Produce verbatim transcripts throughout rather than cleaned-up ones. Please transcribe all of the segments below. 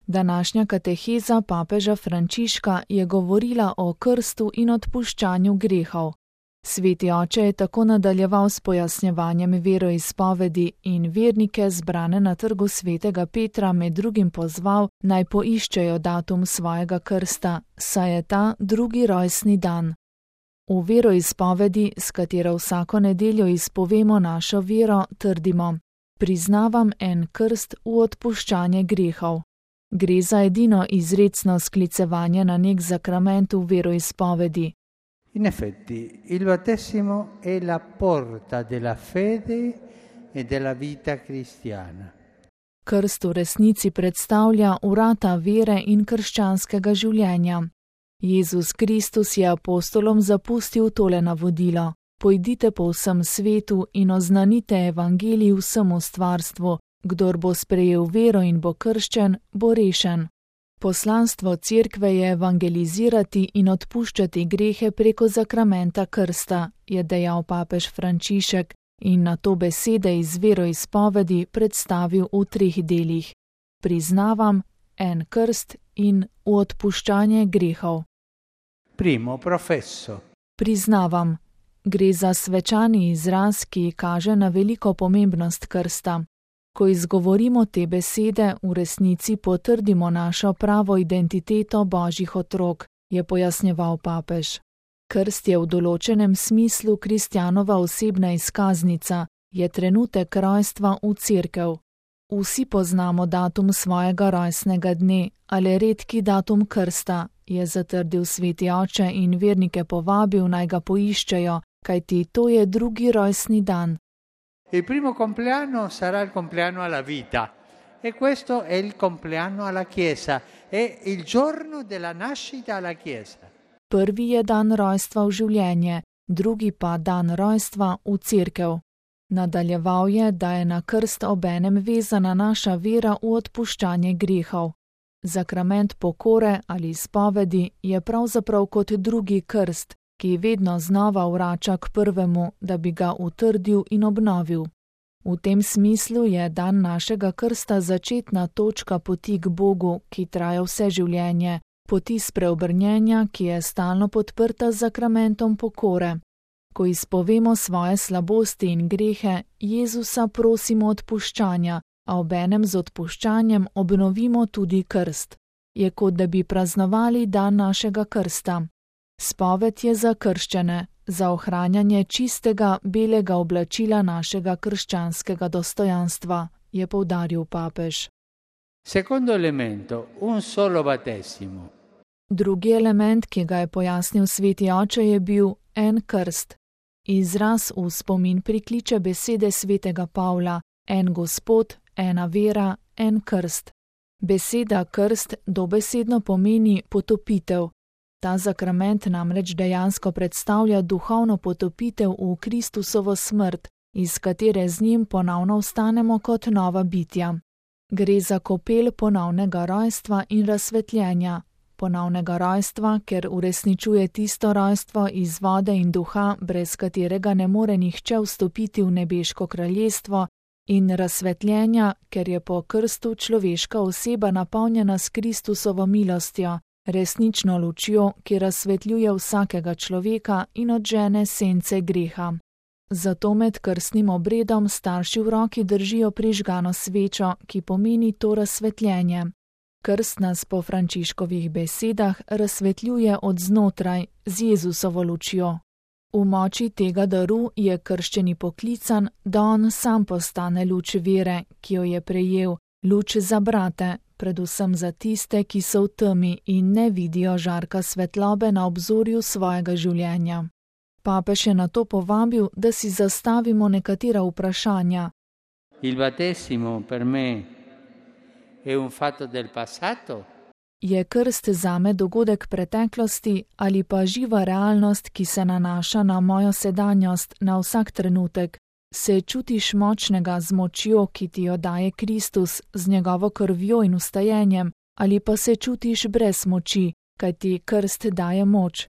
Današnja kateheza papeža Frančiška je govorila o krstu in odpuščanju grehov. Sveti oče je tako nadaljeval s pojasnjevanjem veroizpovedi in vernike zbrane na trgu svetega Petra med drugim pozval, naj poiščejo datum svojega krsta, saj je ta drugi rojstni dan. V veroizpovedi, s katero vsako nedeljo izpovemo našo vero, trdimo: priznavam en krst v odpuščanje grehov. Gre za edino izrecno sklicevanje na nek zakrament v veroizpovedi. In effetti, il battesimo è la porta della fede e della vita cristiana. Krst v resnici predstavlja vrata vere in krščanskega življenja. Jezus Kristus je apostolom zapustil tole navodilo: pojdite po vsem svetu in oznanite evangelij vsemu stvarstvu, kdor bo sprejel vero in bo krščen, bo rešen. Poslanstvo cerkve je evangelizirati in odpuščati grehe preko zakramenta krsta, je dejal papež Frančišek in na to besede iz veroizpovedi predstavil v treh delih: priznavam, en krst in v odpuščanje grehov. Primo, professo. Priznavam. Gre za svečani izraz, ki kaže na veliko pomembnost krsta. Ko izgovorimo te besede, v resnici potrdimo našo pravo identiteto Božjih otrok, je pojasnjeval papež. Krst je v določenem smislu kristjanova osebna izkaznica, je trenutek rojstva v cerkev. Vsi poznamo datum svojega rojstnega dne, ali redki datum krsta, je zatrdil sveti oče in vernike povabil, naj ga poiščejo, kajti to je drugi rojstni dan. Il primo compleanno sarà il compleanno alla vita e questo è il compleanno alla Chiesa, è il giorno della nascita alla Chiesa. Prvi je dan rojstva v življenje, drugi pa dan rojstva v cerkev. Nadaljeval je, da je na krst obenem vezana naša vera v odpuščanje grehov. Zakrament pokore ali izpovedi je pravzaprav kot drugi krst, ki vedno znova vrača k prvemu, da bi ga utrdil in obnovil. V tem smislu je dan našega krsta začetna točka poti k Bogu, ki traja vse življenje, poti spreobrnjenja, ki je stalno podprta z zakramentom pokore. Ko izpovemo svoje slabosti in grehe, Jezusa prosimo odpuščanja, a obenem z odpuščanjem obnovimo tudi krst. Je kot da bi praznovali dan našega krsta. Spoved je za krščene, za ohranjanje čistega, belega oblačila našega krščanskega dostojanstva, je poudaril papež. Secondo elemento, un solo battesimo. Drugi element, ki ga je pojasnil sveti oče, je bil en krst. Izraz v spomin prikliče besede svetega Pavla: en Gospod, ena vera, en krst. Beseda krst dobesedno pomeni potopitev. Ta zakrament namreč dejansko predstavlja duhovno potopitev v Kristusovo smrt, iz katere z njim ponovno vstanemo kot nova bitja. Gre za kopel ponovnega rojstva in razsvetljenja. Ponovnega rojstva, ker uresničuje tisto rojstvo iz vode in duha, brez katerega ne more nihče vstopiti v nebeško kraljestvo, in razsvetljenja, ker je po krstu človeška oseba napolnjena s Kristusovo milostjo, resnično lučjo, ki razsvetljuje vsakega človeka in odžene sence greha. Zato med krstnim obredom starši v roki držijo prižgano svečo, ki pomeni to razsvetljenje. Krst nas po Frančiškovih besedah razsvetljuje od znotraj z Jezusovo lučjo. V moči tega daru je krščeni poklican, da on sam postane luč vere, ki jo je prejel, luč za brate, predvsem za tiste, ki so v temi in ne vidijo žarka svetlobe na obzorju svojega življenja. Papež je na to povabil, da si zastavimo nekatera vprašanja. Il battesimo per me è un fatto del passato? Je krst zame dogodek preteklosti ali pa živa realnost, ki se nanaša na mojo sedanjost, na vsak trenutek? Se čutiš močnega z močjo, ki ti jo daje Kristus, z njegovo krvjo in vstajenjem, ali pa se čutiš brez moči, kaj ti krst daje moč?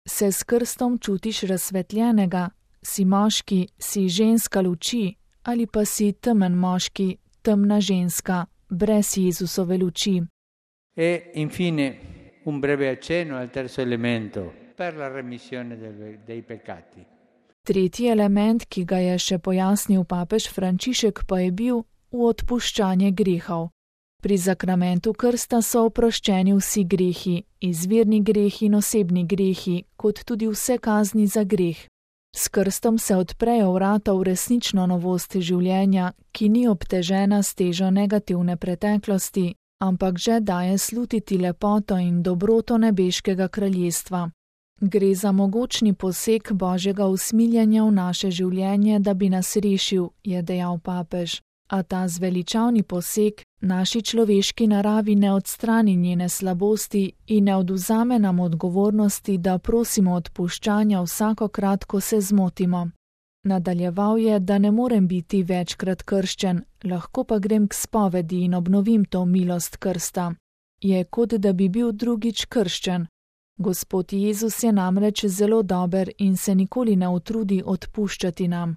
Se s krstom čutiš razsvetljenega, si moški, si ženska luči, ali pa si temen moški, temna ženska, brez Jezusove luči? E infine un breve accenno al terzo elemento, per la remissione dei peccati. Tretji element, ki ga je še pojasnil papež Frančišek, pa je bil v odpuščanje grehov. Pri zakramentu krsta so oproščeni vsi grehi, izvirni grehi in osebni grehi, kot tudi vse kazni za greh. S krstom se odprejo vrata v resnično novost življenja, ki ni obtežena s težo negativne preteklosti, ampak že daje slutiti lepoto in dobroto nebeškega kraljestva. Gre za mogočni poseg Božjega usmiljenja v naše življenje, da bi nas rešil, je dejal papež. A ta zveličavni poseg naši človeški naravi ne odstrani njene slabosti in ne odvzame nam odgovornosti, da prosimo odpuščanja vsakokrat, ko se zmotimo. Nadaljeval je, da ne morem biti večkrat krščen, lahko pa grem k spovedi in obnovim to milost krsta. Je kot da bi bil drugič krščen. Gospod Jezus je namreč zelo dober in se nikoli ne utrudi odpuščati nam.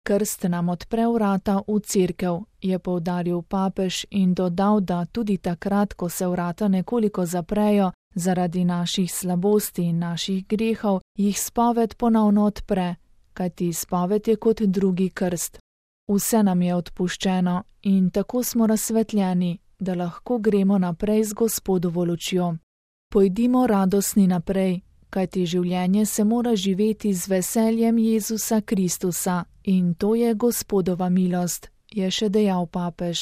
Krst nam odpre vrata v cerkev, je poudaril papež in dodal, da tudi takrat, ko se vrata nekoliko zaprejo zaradi naših slabosti in naših grehov, jih spoved ponovno odpre, kajti spoved je kot drugi krst. Vse nam je odpuščeno in tako smo razsvetljeni, da lahko gremo naprej z Gospodovo lučjo. Pojdimo radosni naprej, kajti življenje se mora živeti z veseljem Jezusa Kristusa in to je Gospodova milost, je še dejal papež.